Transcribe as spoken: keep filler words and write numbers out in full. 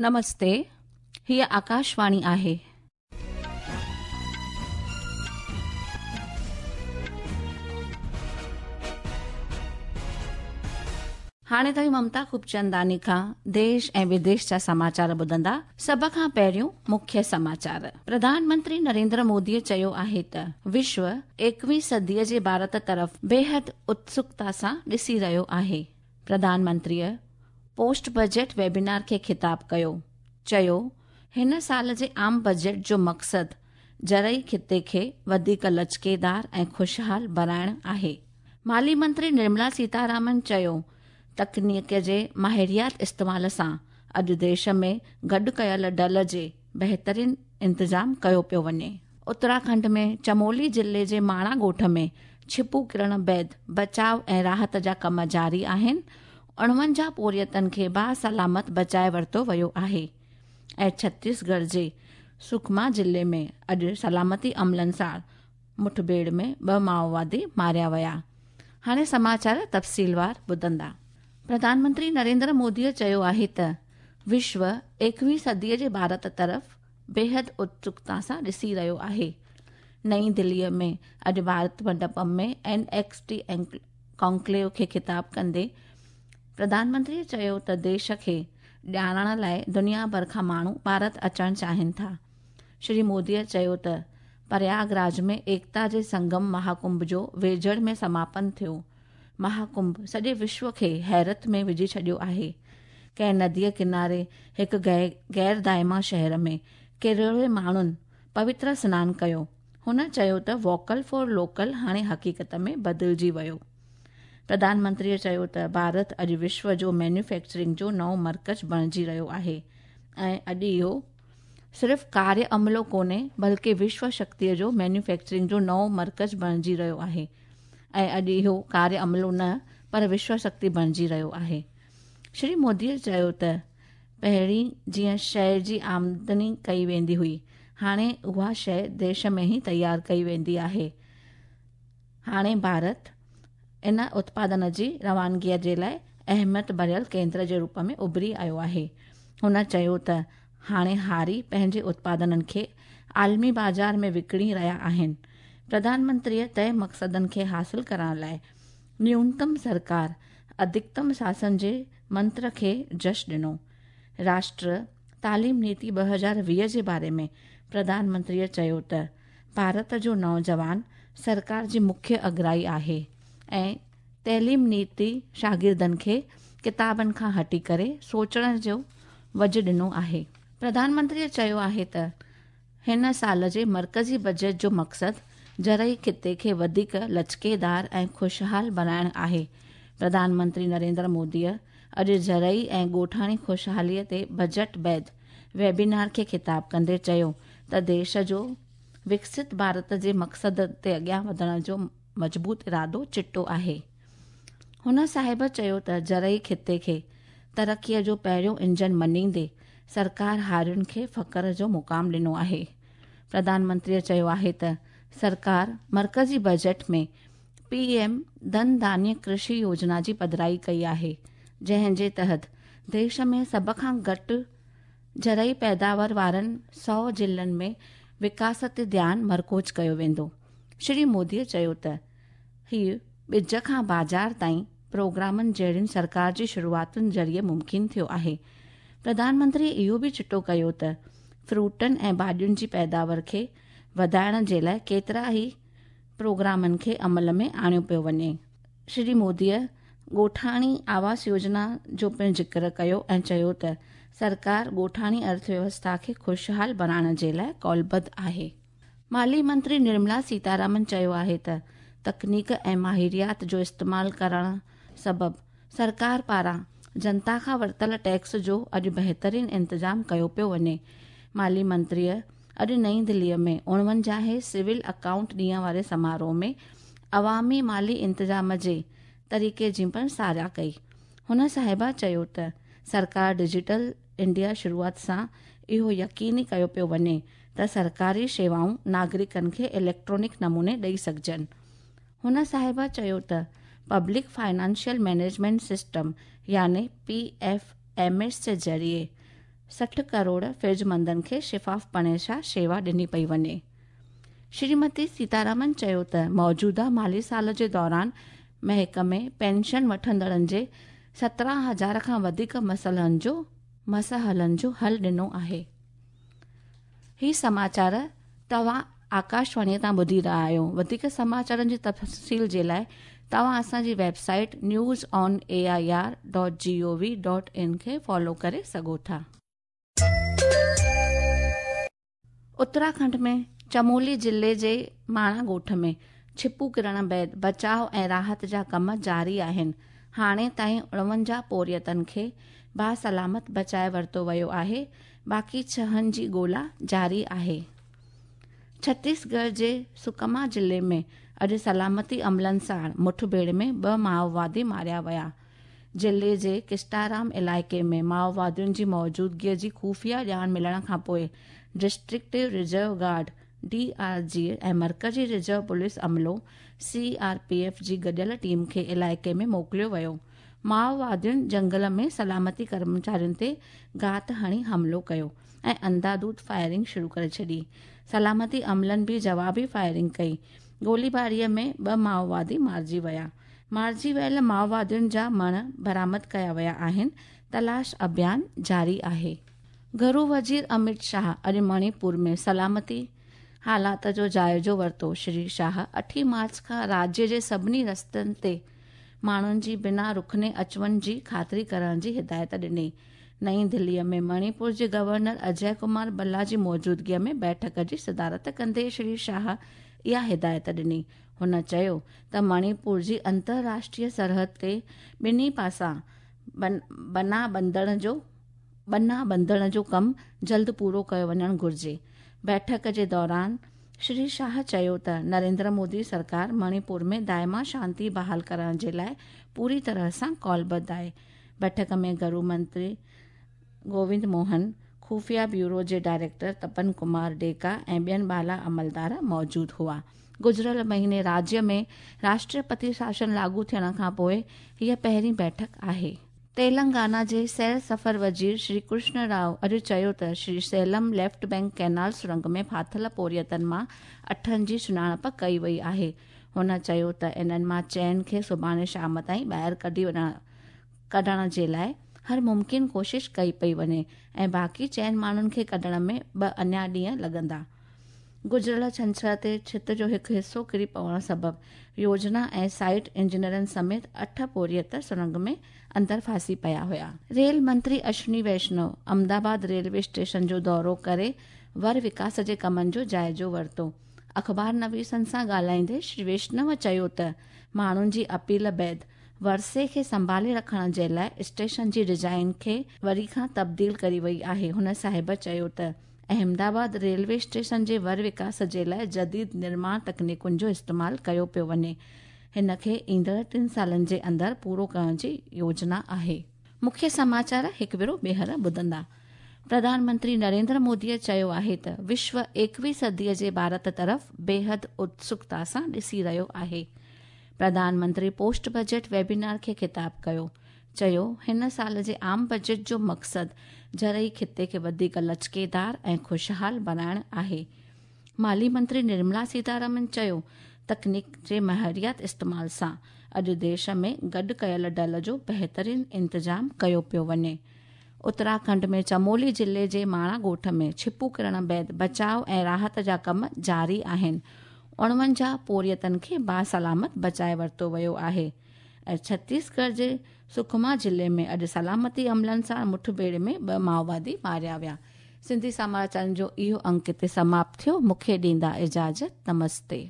نمستي، هيءَ آڪاشواڻي آهي. هاڻي توهين ممتا خوبچنداڻي کان ديش ۽ وديش جا سماچار ٻڌندا. سڀ کان پهريون مکيه سماچار. پرڌان منتري نريندر موديءَ چيو آهي ته وشو ايڪويهين صديءَ جي ڀارت طرف بيحد اتسڪتا سان ڏسي رهيو آهي. پرڌان منتريءَ پوسٽ بجيٽ ويبينار کي خطاب ڪيو. چيو، هن سال جي عام بجيٽ جو مقصد زرعي خطي کي وڌيڪ لچڪيدار ۽ خوشحال بڻائڻ آهي. مالي منتري نرملا سيتارامن چيو، تڪنيڪ جي ماهريات استعمال سان اڄ ديش ۾ گڏ ڪيل ڊل جي بهترين انتظام ڪيو پيو وڃي. اتراکنڊ ۾ چمولي ضلعي جي ماڻا ڳوٺ ۾ ڇپو ڪرڻ بعد بچاءُ ۽ راحت جا ڪم جاري آهن. اڻونجاهه پورهيتن کي باسلامت بچائي ورتو ويو آهي. ۽ ڇتيسڳڙهه جي سڪما ضلعي ۾ اڄ سلامتي عملن سان مٺڀيڙ ۾ ٻه مائووادي ماريا ويا. هاڻي سماچار تفصيلوار ٻڌندا. پرڌان منتري نريندر موديءَ چيو آهي ته وشو ايڪويهين صديءَ جي ڀارت طرف بيحد اتسڪتا سان ڏسي رهيو آهي. نئين دليءَ ۾ اڄ ڀارت منڊپم ۾ اين ايڪس ٽي ڪانڪليو کي خطاب ڪندي پرڌان منتريءَ چيو ته ديش کي ڄاڻڻ لاءِ دنيا ڀر کان ماڻهو ڀارت اچڻ چاهين ٿا. شري موديءَ چيو ته پرياگراج ۾ ايڪتا جي سنگم مهاڪنڀ جو ويجهڙ ۾ سماپن ٿيو. مهاڪنڀ سڄي وشو کي حيرت ۾ وجهي ڇڏيو آهي. ڪنهن نديءَ ڪناري هڪ غير دائما شهر ۾ ڪروڙين ماڻهن پوتر سنان ڪيو. هن چيو ته ووڪل فار لوڪل هاڻي حقيقت ۾ بدلجي ويو. پرڌان منتريءَ چيو ته ڀارت اڄ وشو جو مينوفيڪچرنگ جو نئون مرڪز بڻجي رهيو آهي ۽ اڄ اهو صرف ڪاريه عملو ڪونهي بلڪه وشو شڪتيءَ جو مينوفيڪچرنگ جو نئون مرڪز بڻجي رهيو آهي ۽ اڄ اهو ڪاريه عملو نه پر وشو شڪتي بڻجي رهيو آهي. شري موديءَ چيو ته پهرين جيئن شيءِ جي آمدني ڪئي ويندي هئي، هاڻي اها شيءِ ديش ۾ ئي تيار ڪئي ويندي آهي. هاڻي ڀارت ان اتپادن جي روانگيءَ جي لاءِ اهميت ڀريل ڪيندر جي روپ ۾ اڀري آيو آهي. هن چيو ته هاڻي هاري پنهنجي اتپادنن کي عالمي بازار ۾ وڪڻي رهيا آهن. پرڌان منتريءَ طئي مقصدن کي حاصل ڪرڻ لاءِ نيونتم سرڪار اڌڪتم شاسن جي منتر کي جش ڏنو. راشٽر تعليم نيتي ٻه هزار ويهه جي باري ۾ پرڌان منتريءَ چيو ته ڀارت جو نوجوان سرڪار جي مکيه اڳرائي آهي ۽ تعليم نيتي شاگردن کي ڪتابن کان هٽي ڪري سوچڻ جو وجهه ڏنو آهي. پرڌان منتريءَ چيو آهي ته هن سال جي مرڪزي بجيٽ جو مقصد زرعي خطي کي وڌيڪ لچڪيدار ۽ خوشحال بڻائڻ آهي. پرڌان منتري نريندر موديءَ اڄ زرعي ۽ ڳوٺاڻي خوشحاليءَ تي بجيٽ بعد ويبينار کي خطاب ڪندي چيو ته ديش جو وڪست ڀارت جي مقصد تي اڳيان وڌڻ جو مضبوط ارادو چٽو آهي. هن صاحب چيو ته زرعي خطي کي ترقيءَ جو پهريون انجن مڃيندي سرڪار هارين کي فخر جو مقام ڏنو آهي. پرڌان منتريءَ چيو آهي ته سرڪار مرڪزي بجيٽ ۾ پي ايم ڌن ڌانيه ڪرشي يوجنا جي پڌرائي ڪئي آهي، جنهن جي تحت ديش ۾ سڀ کان گهٽ زرعي پيداوار وارن سؤ ضلعن ۾ وڪاس تي ڌيان مرڪوز ڪيو ويندو. شري موديءَ چيو ته هيءُ ٻج کان بازار تائين پروگرامن جهڙين سرڪار جي شروعاتن ذريعي ممڪن ٿيو آهي. پرڌان منتري اهو به چٽو ڪيو ته فروٽن ۽ ڀاڄين جي پيداوار کي وڌائڻ جي لاءِ ڪيترا ئي پروگرامن کي عمل ۾ آڻيو پيو وڃي. شري موديءَ ڳوٺاڻي آواس يوجنا جو پڻ ذڪر ڪيو ۽ چيو ته سرڪار ڳوٺاڻي ارٿويوسٿا کي خوشحال بڻائڻ جي لاءِ ڪالبڌ آهي. مالي منتري نرملا سيتارامن چيو آهي ته تڪنيڪ ۽ ماهريات جو استعمال ڪرڻ سبب سرڪار پاران جنتا کان ورتل ٽيڪس جو اڄ بهترين انتظام ڪيو پيو وڃي. مالي منتريءَ اڄ نئين دليءَ ۾ اڻونجاهين سول اڪائونٽ ڏينهن واري سماروهه ۾ عوامي مالي انتظام جي طريقي جي پڻ ساراهه ڪئي. هن صاحبه چيو ته سرڪار ڊجيٽل انڊيا شروعات سان اهو يقيني ڪيو پيو وڃي ته سرڪاري شيوائون ناگرڪن کي اليڪٽرانڪ نموني ڏيئي سگهجن. هن صاحبه چيو ته پبلڪ فائنانشل مئنيجمينٽ سسٽم يعني پي ايف ايم ايس جي ذريعي سٺ ڪروڙ فرضمندن کي شفاف پڻي سان شيوا ڏني پئي وڃي. شريمتي سيتارامن چيو ته موجوده مالي سال جي دوران محڪمي پينشن وٺندڙن جي سترهن هزار کان وڌيڪ مسئلن جو مسئلن جو حل ڏنو آهي. هي سماچار توهان آڪاشواڻيءَ تان ٻڌي رهيا آهيو. وڌيڪ سماچارن جي تفصيل جي لاءِ توهان اسان جي website news on A I R dot G O V dot in کي فالو ڪري سگهو ٿا. اتراکنڊ ۾ چمولي ضلعي جي ماڻا ڳوٺ ۾ ڇپو ڪرڻ بعد بچاءُ ۽ راحت جا ڪم جاري آهن. هاڻي تائين اڻونجاهه پورهيتن کي باسلامت بچائي ورتو ويو آهي، باقي ڇهن جي ڳولا جاري آهي. ڇتيسڳڙهه جي سڪما ضلعي ۾ اڄ سلامتي عملن سان مٺڀيڙ ۾ ٻه مائووادي ماريا ويا. ضلعي جي ڪسٽارام علائقي ۾ مائووادين جي موجودگيءَ جي خفيه ڄاڻ ملڻ کان پوءِ district reserve guard D R G ۽ مرڪزي رزرو پوليس عملو سي آر پي ايف جي گڏيل ٽيم کي علائقي ۾ موڪليو ويو. مائووادين جنگل ۾ سلامتي ڪرمچارين تي گهات هڻي حملو ڪيو ۽ انڌاڌنڌ فائرنگ شروع ڪري ڇڏي. سلامتي عملن به جوابي فائرنگ ڪئي. گوليباريءَ ۾ ٻه مائووادي مارجي ويا. مارجي ويل مائووادين جا مڻ برآمد ڪيا ويا آهن. تلاش اڀيان جاري آهي. گهرو وزير امت شاهه اڄ مڻيپور ۾ سلامتي حالات جو جائزو ورتو. شري شاهه اٺين مارچ کان راجيه جي سڀني رستن تي ماڻهن جي بنا رڪني اچ وڃ جي خاطري ڪرڻ جي هدايت ڏني. نئين دليءَ ۾ مڻيپور جي گورنر اجي ڪمار ڀلا جي موجودگيءَ ۾ بيٺڪ جي صدارت ڪندي شري شاهه اها هدايت ڏني. هن چيو ته مڻيپور جي انترراشٽريه سرحد تي ٻنهي پاسا بنا ٻنڌڻ جو ٻنا ٻنڌڻ جو ڪم جلد پورو ڪيو وڃڻ گهرجي. بيٺڪ جي دوران شري شاهه چيو ته نريندر مودي سرڪار مڻيپور ۾ دائما شانتي بحال ڪرڻ جي لاءِ پوري طرح سان ڪالبڌ آهي. بيٺڪ ۾ گهرو منتري گووند موهن، خفيه بيورو جي ڊائريڪٽر تپن ڪمار ڊيڪا ۽ ٻين بالا عملدار موجود هئا. گذريل مهيني راجيه ۾ راشٽرپتي شاسن لاڳو ٿيڻ کان پوءِ هيءَ پهرين بيٺڪ آهي. تيلنگانا جي سير سفر وزير شري ڪرشن رائو اڄ چيو ته Shri Salem left bank canal سرنگ ۾ ڦاٿل پورهيتن مان اٺن جي سڃاڻپ ڪئي وئي آهي. هن چيو ته انهن مان چئن کي سڀاڻي شام تائين ٻاهر ڪڍي وڃڻ ڪڍڻ جي لاءِ هر ممڪن ڪوشش ڪئي پئي وڃي ۽ باقي چئن ماڻهن کي ڪڍڻ ۾ ٻه اڃا ڏينهن لڳندا. گذريل ڇنڇر تي ڇت جو هڪ حصو ڪري پوڻ سبب يوجنا ۽ سائيٽ انجنيئرن سميت اٺ پورهيت سرنگ ۾ اندر ڦاسي پيا هئا. ريل منتري اشوني ويشنو احمدآباد ريلوي اسٽيشن جو دورو ڪري ور وڪاس جي ڪمن جو جائزو ورتو. اخبار نويسن سان ڳالهائيندي شري ويشنو چيو ته ماڻهن جي اپيل بعد ورثي کي سنڀالي رکڻ جي لاءِ اسٽيشن جي ڊزائين کي وري کان تبديل ڪئي وئي آهي. هن صاحب چيو ته احمدآباد ريلوي اسٽيشن جي ور وڪاس جي لاءِ جديد نرماڻ تڪنيڪن جو استعمال ڪيو پيو وڃي. هن کي ايندڙ ٽن سالن جي اندر پورو ڪرڻ جي يوجنا آهي. مکيه سماچار هڪ ڀيرو ٻيهر ٻڌندا. پرڌان منتري نريندر موديءَ چيو آهي ته وشو ايڪويهه صديءَ جي ڀارت طرف بيحد اتسڪتا سان ڏسي رهيو آهي. Pradhan Mantri post budget webinar کي خطاب ڪيو. چيو هن سال جي عام بجيٽ جو مقصد زرعي خطي کي وڌيڪ لچڪيدار ۽ خوشحال بڻائڻ آهي. مالي منتري نرملا سيتارامن چيو تڪنيڪ جي مهاريات استعمال سان اڄ ديش ۾ گڏ ڪيل ڊل جو بهترين انتظام ڪيو پيو وڃي. اتراکنڊ ۾ چمولي ضلعي جي ماڻا ڳوٺ ۾ ڇپو ڪرڻ بعد بچاءُ ۽ راحت جا ڪم جاري آهن. اڻونجاهه پورهيتن کي باسلامت بچائي ورتو ويو آهي. ۽ ڇتيسڳڙهه جي سڪما ضلعي ۾ اڄ سلامتي عملن سان مٺڀيڙ ۾ ٻه مائووادي ماريا ويا. سنڌي سماچارن جو اهو انڪ هتي سماپت ٿيو. مون کي ڏيندا اجازت. نمستي.